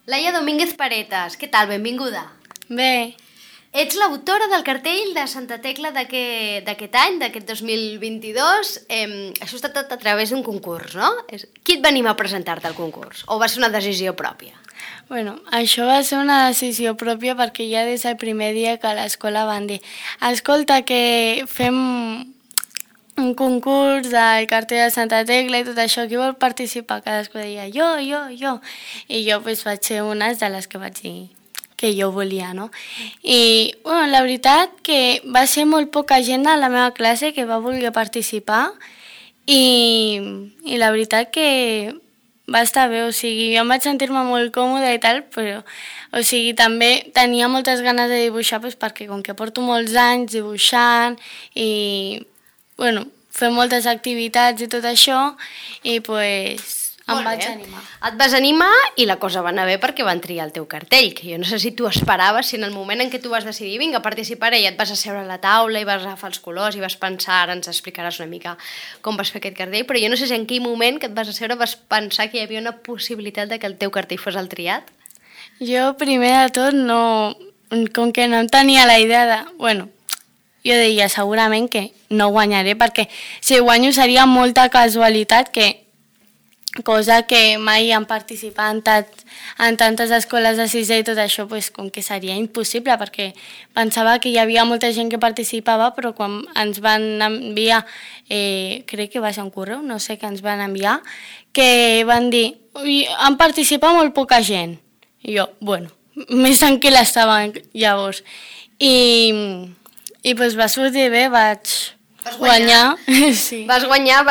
Laia Domínguez Paretas, què tal? Benvinguda. Bé, Ets l'autora del cartell de Santa Tecla d'aquest any, d'aquest 2022. Això està tot a través d'un concurs, no? Qui et va animar a presentar-te al concurs? O va ser una decisió pròpia? bueno, això va ser una decisió pròpia perquè ja des del primer dia que a l'escola van dir escolta, que fem un concurs del cartell de Santa Tecla i tot això, qui vol participar? Cadascú deia jo. I jo pues, vaig ser una de les que vaig dir que jo volia, no? I bueno, la veritat que va ser molt poca gent a la meva classe que va voler participar i la veritat que va estar bé, o sigui, jo em vaig sentir-me molt còmoda i tal, però, o sigui, també tenia moltes ganes de dibuixar doncs, perquè com que porto molts anys dibuixant i, bueno, fer moltes activitats i tot això, i pues em vaig animar. Et vas animar i la cosa va anar bé perquè van triar el teu cartell, que jo no sé si tu esperaves, si en el moment en què tu vas decidir vinga, participaré, i et vas asseure a la taula i vas agafar els colors i vas pensar, ara ens explicaràs una mica com vas fer aquest cartell, però jo no sé si en quin moment que et vas asseure vas pensar que hi havia una possibilitat de que el teu cartell fos el triat. Jo, primer de tot, no, com que no em tenia la idea de... Bueno, jo deia segurament que no guanyaré perquè si guanyo seria molta casualitat, cosa que mai han participat en tantes escoles de sisè i tot això, pues, com que seria impossible, perquè pensava que hi havia molta gent que participava, però quan ens van enviar, crec que va ser un correu, no sé, que ens van enviar, que van dir, han participat molt poca gent. I jo, bueno, més tranquil·la estava llavors. I pues, va sortir bé, vaig guanyar. Sí. Vas guanyar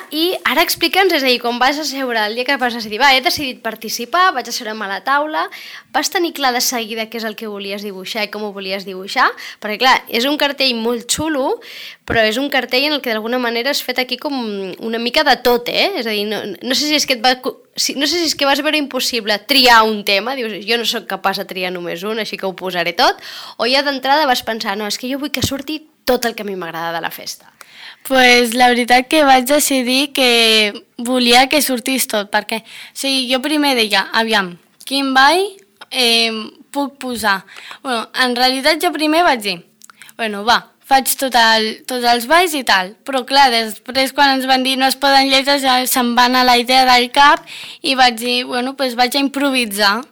i ara explica'ns, és a dir, com vas asseure el dia que vas decidir, he decidit participar, vaig asseure'm a la taula, vas tenir clar de seguida què és el que volies dibuixar i com ho volies dibuixar? Perquè clar, és un cartell molt xulo, però és un cartell en el que d'alguna manera has fet aquí com una mica de tot, És a dir, no sé si és que no sé si és que vas veure impossible triar un tema, dius, jo no sóc capaç de triar només un, així que ho posaré tot, o ja d'entrada vas pensar, no, és que jo vull que surti tot el que a mi m'agrada de la festa. Pues la veritat que vaig decidir que volia que sortís tot, perquè jo primer deia, aviam, quin ball puc posar? Bueno, en realitat jo primer vaig dir, faig tots els balls i tal, però clar, després quan ens van dir no es poden lletres ja se'm va anar la idea del cap i vaig dir, vaig a improvisar.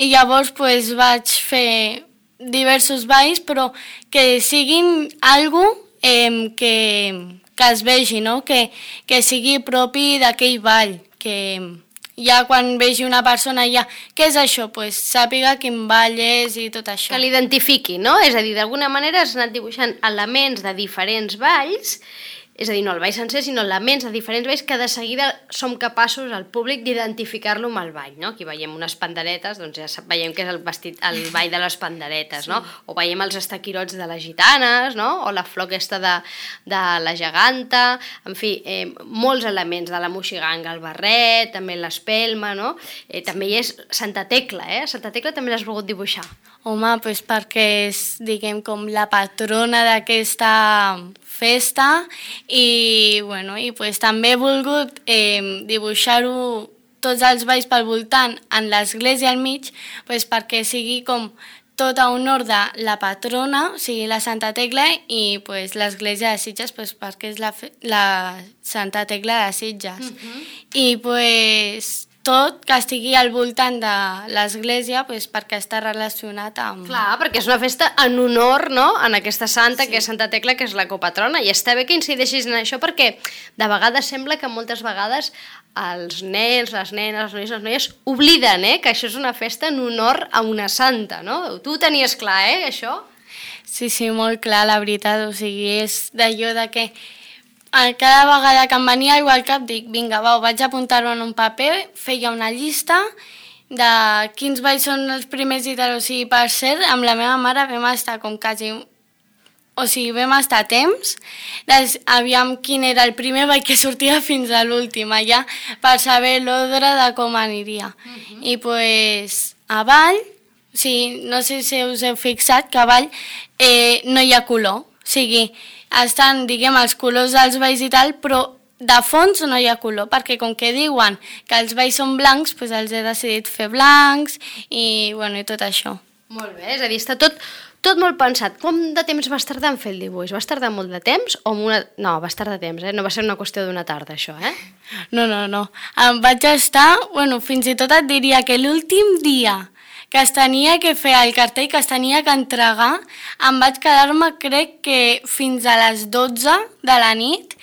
I llavors vaig fer diversos balls, però que siguin algo que es vegi, no? Que sigui propi d'aquell ball, que ja quan vegi una persona ja, què és això? Sàpiga quin ball és i tot això. Que l'identifiqui, no? És a dir, d'alguna manera has anat dibuixant elements de diferents balls, és a dir, no el ball sencer, sinó elements de diferents balls que de seguida som capaços, al públic, d'identificar-lo amb el ball, no? Aquí veiem unes panderetes, doncs ja veiem que és el ball de les panderetes, no? O veiem els estaquirots de les gitanes, no? O la flor aquesta de la geganta, en fi, molts elements de la moixiganga, el barret, també l'espelma, no? També hi és Santa Tecla, Santa Tecla també l'has volgut dibuixar. Home, perquè és, diguem, com la patrona d'aquesta festa i també he volgut dibuixar-ho tots els balls pel voltant en l'església al mig perquè sigui com tot a honor de la patrona, o sigui la Santa Tecla i l'església de Sitges perquè és la Santa Tecla de Sitges. I tot que estigui al voltant de l'església perquè està relacionat amb... Clar, perquè és una festa en honor, no?, en aquesta santa, que és Santa Tecla, que és la copatrona, i està bé que incideixis en això perquè de vegades sembla que moltes vegades els nens, les nenes, els nois, les noies obliden, que això és una festa en honor a una santa, no? Tu ho tenies clar, això? Sí, molt clar, la veritat, o sigui, és d'allò de que cada vegada que em venia alguna cosa al cap dic, vinga, vaig apuntar-ho en un paper, feia una llista de quins balls són els primers i tal, o sigui, per cert, amb la meva mare vam estar com quasi... O sigui, vam estar a temps, aviam quin era el primer ball que sortia fins a l'últim, allà, per saber l'ordre de com aniria. I a ball, o sigui, no sé si us heu fixat que a ball no hi ha color, o sigui, estan, diguem, els colors dels balls i tal, però de fons no hi ha color, perquè com que diuen que els valls són blancs, doncs els he decidit fer blancs i, bueno, i tot això. Molt bé, és a dir, està tot molt pensat. Quant de temps vas tardar en fer el dibuix? Vas tardar molt de temps o No, vas tardar temps, no va ser una qüestió d'una tarda, això, No. Em vaig estar, bueno, fins i tot et diria que l'últim dia que es tenia que fer el cartell, que es tenia que entregar, em vaig quedar-me, crec que fins a les 12 de la nit,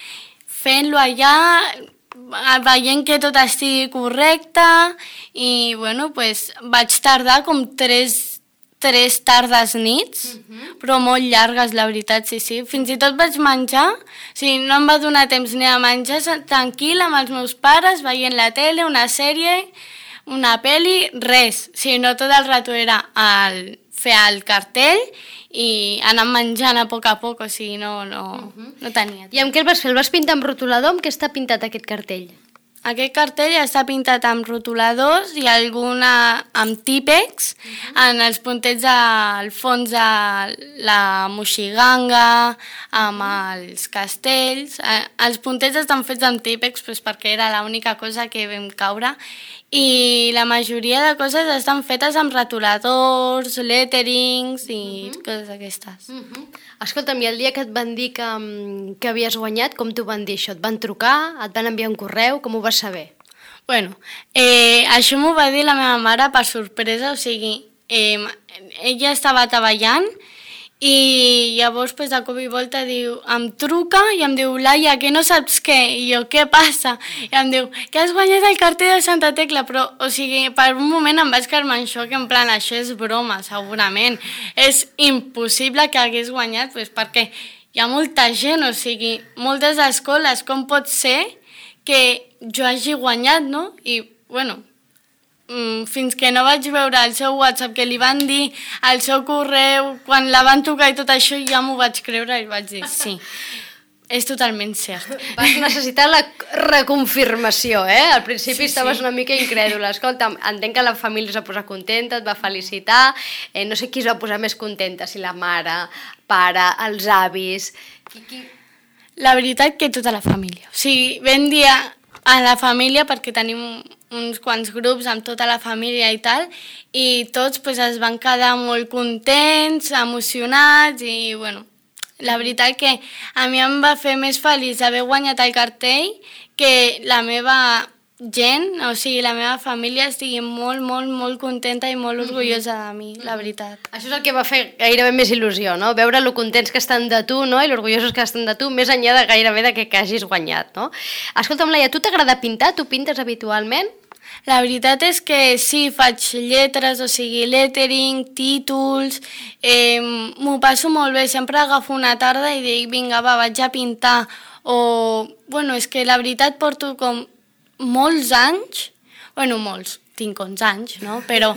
fent-lo allà, veient que tot estigui correcte i, bueno, pues, vaig tardar com 3 tardes nits, però molt llargues, la veritat, sí. Fins i tot vaig menjar, no em va donar temps ni a menjar tranquil amb els meus pares, veient la tele, una sèrie, una pel·li, res. No tot el rato era fer el cartell i anar menjant a poc, o sigui, no tenia temps. I amb què el vas fer? El vas pintar amb rotulador? Amb què està pintat aquest cartell? Aquest cartell està pintat amb rotuladors i alguna amb típex, en els puntets al fons de la moixiganga, amb els castells. Els puntets estan fets amb típex perquè era l'única cosa que vam caure i la majoria de coses estan fetes amb rotuladors, letterings i coses aquestes. Escolta'm, i el dia que et van dir que havies guanyat, com t'ho van dir això? Et van trucar? Et van enviar un correu? Com ho vas saber? Bueno, això m'ho va dir la meva mare per sorpresa, o sigui, ella estava treballant i llavors de cop i volta em truca i em diu, Laia, que no saps què? I jo, què passa? I em diu, que has guanyat el cartell de Santa Tecla, però, o sigui, per un moment em vaig quedar en xoc, en plan, això és broma, segurament. És impossible que hagués guanyat, perquè hi ha molta gent, o sigui, moltes escoles, com pot ser que jo hagi guanyat, no? I, bueno, fins que no vaig veure el seu WhatsApp, que li van dir el seu correu, quan la van tocar i tot això, ja m'ho vaig creure i vaig dir, sí, és totalment cert. Vas necessitar la reconfirmació, Al principi estaves una mica incrèdula. Escolta, entenc que la família es va posar contenta, et va felicitar, no sé qui es va posar més contenta, si la mare, pare, els avis... La veritat que tota la família. O sigui, vam dir a la família perquè tenim uns quants grups amb tota la família i tal, i tots es van quedar molt contents, emocionats i, bueno, la veritat que a mi em va fer més feliç haver guanyat el cartell que la meva gent, o sigui, la meva família estigui molt, molt, molt contenta i molt orgullosa de mi, la veritat. Això és el que va fer gairebé més il·lusió, no? Veure lo contents que estan de tu, no? I l'orgullosos que estan de tu, més enllà de gairebé de que hagis guanyat, no? Escolta'm, Laia, tu t'agrada pintar? Tu pintes habitualment? La veritat és que sí, faig lletres, o sigui, lettering, títols, m'ho passo molt bé, sempre agafo una tarda i dic, vinga, va, vaig a pintar, o, bueno, és que la veritat porto com molts anys, bueno, molts, tinc 11 anys, no? Però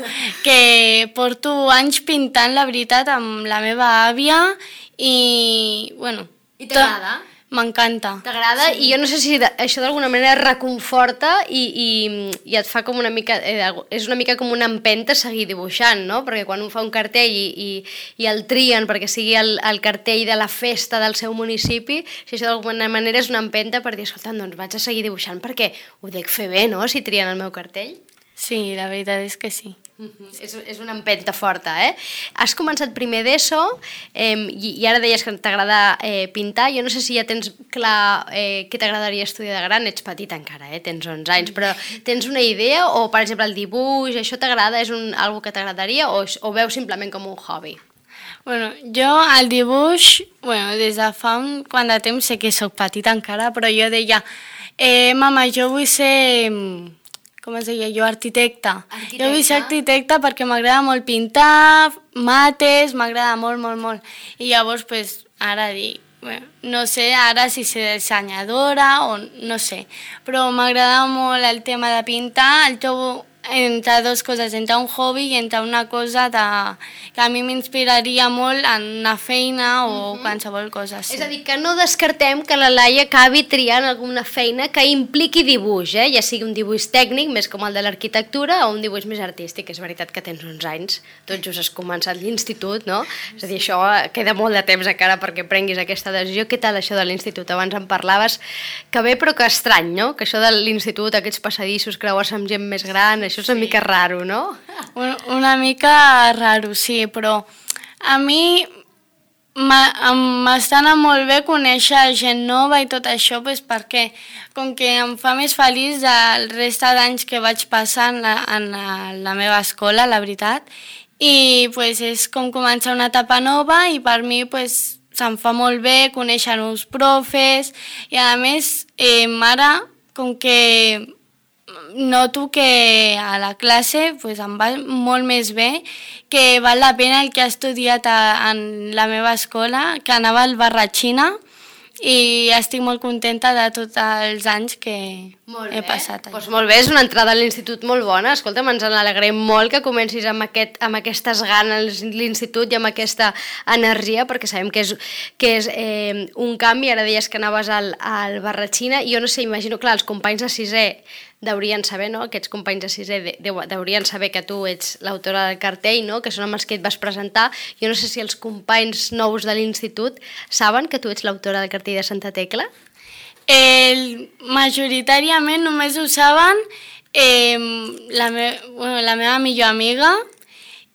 que porto anys pintant, la veritat, amb la meva àvia i, bueno... I t'agrada? M'encanta. T'agrada? Sí. I jo no sé si això d'alguna manera reconforta i et fa com una mica... és una mica com una empenta a seguir dibuixant, no? Perquè quan un fa un cartell i el trien perquè sigui el cartell de la festa del seu municipi, si això d'alguna manera és una empenta per dir, escolta, doncs vaig a seguir dibuixant perquè ho dec fer bé, no?, si trien el meu cartell. Sí, la veritat és que sí. És una empenta forta, Has començat primer d'ESO i ara deies que t'agrada pintar. Jo no sé si ja tens clar què t'agradaria estudiar de gran. Ets petit encara, tens 11 anys, però tens una idea? O, per exemple, el dibuix, això t'agrada? És algo que t'agradaria o veus simplement com un hobby? Bueno, jo el dibuix, des de fa un quant de temps, sé que soc petita encara, però jo deia, mama, jo vull ser... com es deia jo, arquitecta. Jo vull ser arquitecta perquè m'agrada molt pintar, mates, m'agrada molt, molt, molt. I llavors, ara dic, no sé ara si ser dissenyadora o no sé, però m'agrada molt el tema de pintar, el trobo entre dues coses, entre un hobby i entre una cosa que a mi m'inspiraria molt en una feina o qualsevol cosa. Sí. És a dir, que no descartem que la Laia acabi triant alguna feina que impliqui dibuix, ja sigui un dibuix tècnic, més com el de l'arquitectura, o un dibuix més artístic. És veritat que tens uns anys, tot just has començat l'institut, no? És a dir, això queda molt de temps encara perquè prenguis aquesta decisió. Què tal això de l'institut? Abans em parlaves que bé però que estrany, no? Que això de l'institut, aquests passadissos, creuar-se amb gent més gran, això és una mica raro, no? Una mica raro, sí, però a mi m'està anant molt bé conèixer gent nova i tot això, perquè com que em fa més feliç el resta d'anys que vaig passar en la meva escola, la veritat, i és com començar una etapa nova i per mi se'm fa molt bé conèixer nous profes i a més ara com que noto que a la classe em va molt més bé, que val la pena el que he estudiat en la meva escola, que anava al Barratxina, i estic molt contenta de tots els anys que he passat allà. Doncs molt bé, és una entrada a l'institut molt bona. Escolta'm, ens n'alegrem molt que comencis amb aquestes ganes l'institut i amb aquesta energia, perquè sabem que és un canvi. Ara deies que anaves al Barratxina, i jo no sé, imagino, clar, els companys de sisè deurien saber, no? Aquests companys de sisè deurien saber que tu ets l'autora del cartell, no? Que són amb els que et vas presentar. Jo no sé si els companys nous de l'institut saben que tu ets l'autora del cartell de Santa Tecla. Majoritàriament només ho saben la meva millor amiga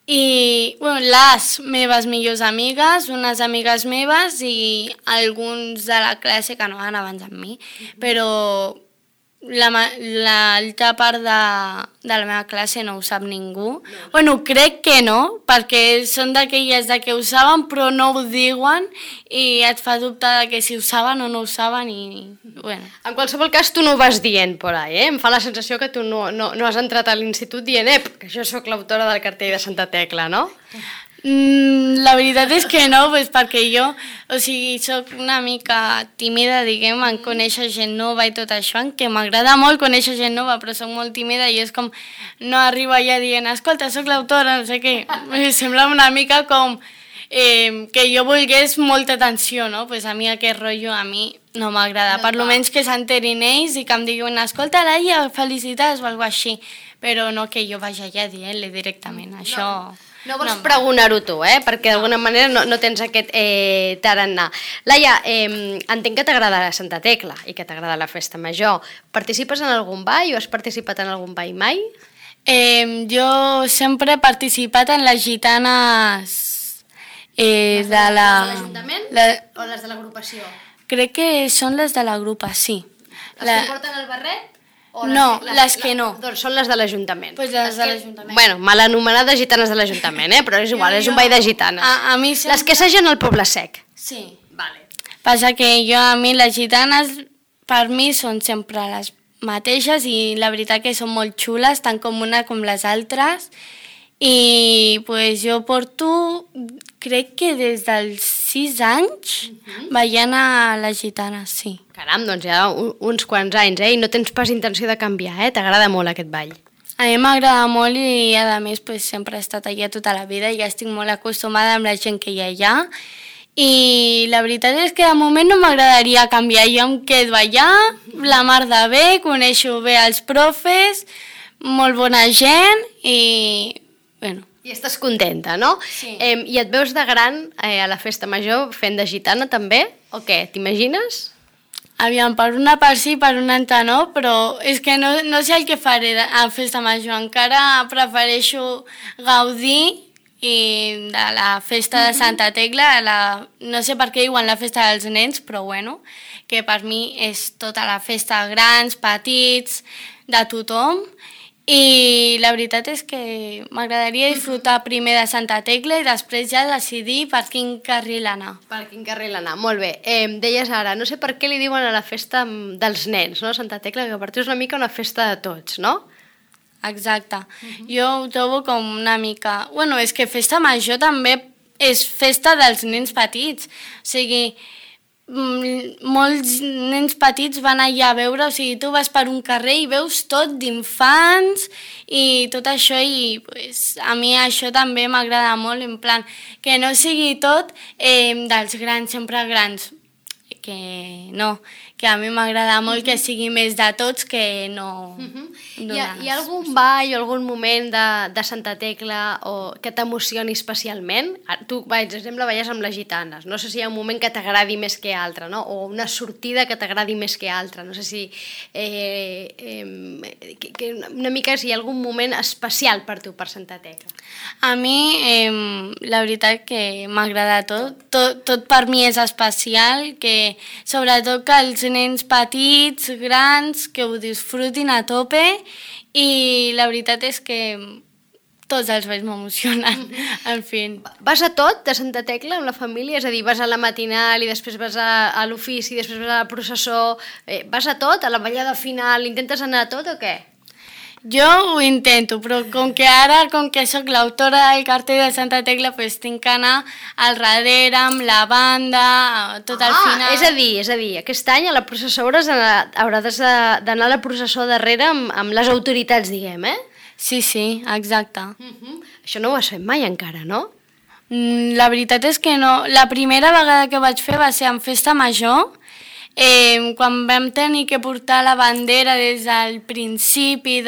i les meves millors amigues, unes amigues meves i alguns de la classe que no van abans amb mi, però l'altra part de la meva classe no ho sap ningú. Crec que no, perquè són d'aquelles que ho saben però no ho diuen i et fa dubtar que si ho saben o no ho saben i En qualsevol cas tu no ho vas dient por ahí, Em fa la sensació que tu no has entrat a l'institut dient que jo sóc l'autora del cartell de Santa Tecla, no? La veritat és que no, perquè jo, soc una mica tímida, diguem, en conèixer gent nova i tot això, que m'agrada molt conèixer gent nova, però soc molt tímida i és com no arribo allà dient, escolta, soc l'autora, no sé què. Sembla una mica com que jo volgués molta atenció, no? A mi aquest rotllo a mi no m'agrada, per almenys que s'enterin ells i que em diguin, escolta, Laia, felicitats o alguna cosa així, però no que jo vagi allà dient-li directament, això... No vols pregonar-ho tu, perquè d'alguna manera no tens aquest tarannà. Laia, entenc que t'agrada Santa Tecla i que t'agrada la festa major. Participes en algun ball o has participat en algun ball mai? Jo sempre he participat en les gitanes de l'Ajuntament o les de l'agrupació? Crec que són les de l'agrupació. Les que porten el barret? No, les que no. Doncs són les de l'Ajuntament. Doncs les de l'Ajuntament. Bueno, mal anomenades gitanes de l'Ajuntament, però és igual, és un ball de gitanes. A mi sempre... Les que s'hagen al Poble Sec. Sí. Vale. Passa que a mi les gitanes, per mi, són sempre les mateixes i la veritat que són molt xules, tant com una com les altres. I jo porto, crec que des dels 6 anys, ballant a les gitanes, sí. Caram, doncs ja uns quants anys, i no tens pas intenció de canviar, T'agrada molt aquest ball. A mi m'agrada molt i, a més, sempre he estat allà tota la vida i ja estic molt acostumada amb la gent que hi ha allà. I la veritat és que de moment no m'agradaria canviar. Jo em quedo allà, la mar de bé, coneixo bé els profes, molt bona gent i... I estàs contenta, no? Sí. I et veus de gran a la festa major fent de gitana també? O què? T'imagines? Aviam, per una part sí, per una altra no, però és que no sé el que faré a festa major. Encara prefereixo gaudir de la festa de Santa Tecla, no sé per què diuen la festa dels nens, però que per mi és tota la festa, grans, petits, de tothom. I la veritat és que m'agradaria disfrutar primer de Santa Tecla i després ja decidir per quin carril anar. Per quin carril anar, molt bé. Deies ara, no sé per què li diuen a la festa dels nens, no? Santa Tecla, que per tu és una mica una festa de tots, no? Exacte. Jo ho trobo com una mica... és que festa major també és festa dels nens petits. O sigui, molts nens petits van allà a veure, o sigui, tu vas per un carrer i veus tot d'infants i tot això, i pues, a mi això també m'agrada molt, en plan, que no sigui tot dels grans, sempre grans, que no, que a mi m'agrada molt que sigui més de tots que no... Hi ha algun ball o algun moment de Santa Tecla que t'emocioni especialment? Tu, per exemple, balles amb les gitanes. No sé si hi ha un moment que t'agradi més que altre, no? O una sortida que t'agradi més que altra. No sé si... una mica si hi ha algun moment especial per tu, per Santa Tecla. A mi, la veritat que m'agrada tot. Tot per mi és especial, que sobretot que els nens petits, grans, que ho disfrutin a tope, i la veritat és que tots els balls m'emocionen, en fi. Vas a tot de Santa Tecla amb la família? És a dir, vas a la matinal i després vas a l'ofici, després vas a la processó, vas a tot, a la ballada final, intentes anar a tot o què? Jo ho intento, però com que soc l'autora del cartell de Santa Tecla, pues tinc que anar al darrere amb la banda, tot al final. És a dir, aquest any a la processó hauràs d'anar a la processó darrere amb les autoritats, diguem, eh? Sí, exacte. Això no ho has fet mai encara, no? La veritat és que no. La primera vegada que vaig fer va ser en Festa Major, quan vam tenir que portar la bandera des del principi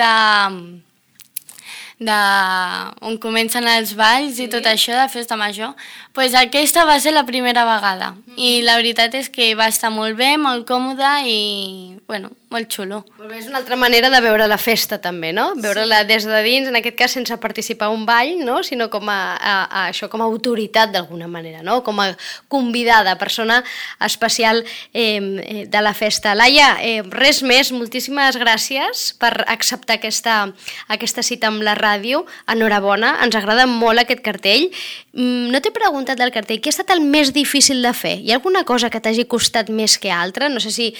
on comencen els balls i tot això de Festa Major, doncs aquesta va ser la primera vegada. I la veritat és que va estar molt bé, molt còmode i, bueno, molt xulo. Molt bé, és una altra manera de veure la festa també, no? Veure-la des de dins, en aquest cas sense participar a un ball, no? Sinó com això com a autoritat d'alguna manera, no? Com a convidada, persona especial de la festa. Laia, res més, moltíssimes gràcies per acceptar aquesta cita amb la ràdio. Enhorabona, ens agrada molt aquest cartell. No t'he preguntat del cartell, què ha estat el més difícil de fer? Hi ha alguna cosa que t'hagi costat més que altra? No sé si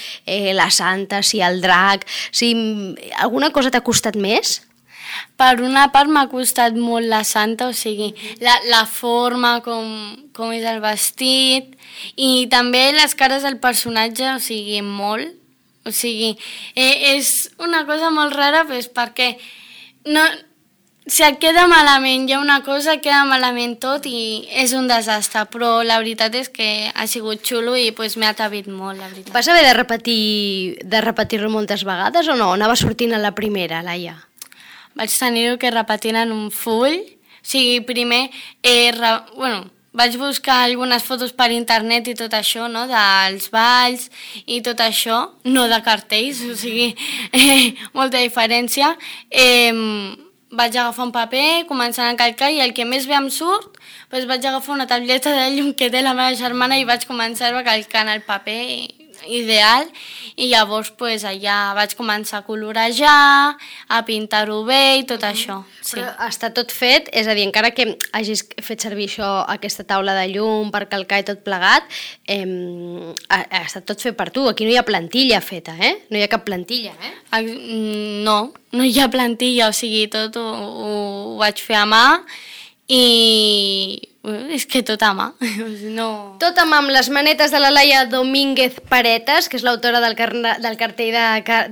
la Santa, si el drac, si alguna cosa t'ha costat més? Per una part m'ha costat molt la Santa, o sigui, la forma, com és el vestit, i també les cares del personatge, o sigui, molt. O sigui, és una cosa molt rara, doncs, perquè no... Si et queda malament hi ha una cosa, queda malament tot i és un desastre, però la veritat és que ha sigut xulo i pues, m'ha atrevit molt, la veritat. Vas haver de repetir-lo moltes vegades o no? Anava sortint a la primera, Laia? Vaig tenir-ho que repetir en un full, o sigui, primer, vaig buscar algunes fotos per internet i tot això, no?, dels balls i tot això, no de cartells, o sigui, molta diferència. Vaig agafar un paper, començant a calcar, i el que més bé em surt, doncs vaig agafar una tableta de llum que té la meva germana i vaig començar a calcar en el paper ideal, i llavors doncs, allà vaig començar a colorejar, a pintar-ho bé i tot això. Sí. Però està tot fet, és a dir, encara que hagis fet servir aquesta taula de llum per calcar i tot plegat, ha estat tot fet per tu. Aquí no hi ha plantilla feta, No hi ha cap plantilla, No hi ha plantilla, o sigui, tot ho vaig fer a mà i és que tot a mà. No. Tot a mà, amb les manetes de la Laia Domínguez Paretas, que és l'autora del cartell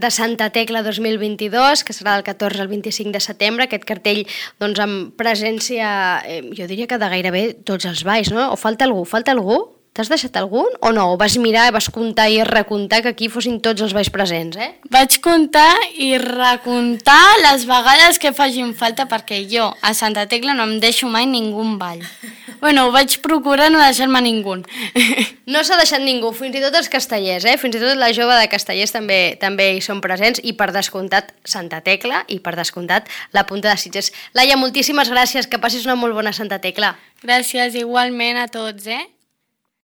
de Santa Tecla 2022, que serà del 14 al 25 de setembre, aquest cartell doncs, amb presència, jo diria que de gairebé tots els balls, no? O falta algú? T'has deixat algun o no? O vas mirar i vas comptar i recomptar que aquí fossin tots els balls presents, Vaig comptar i recomptar les vegades que facin falta, perquè jo a Santa Tecla no em deixo mai ningú ball. Bueno, vaig procurar no deixar-me ningú. No s'ha deixat ningú, fins i tot els castellers, Fins i tot la jove de castellers també hi són presents, i per descomptat Santa Tecla i per descomptat la Punta de Sitges. Laia, moltíssimes gràcies, que passis una molt bona Santa Tecla. Gràcies igualment a tots,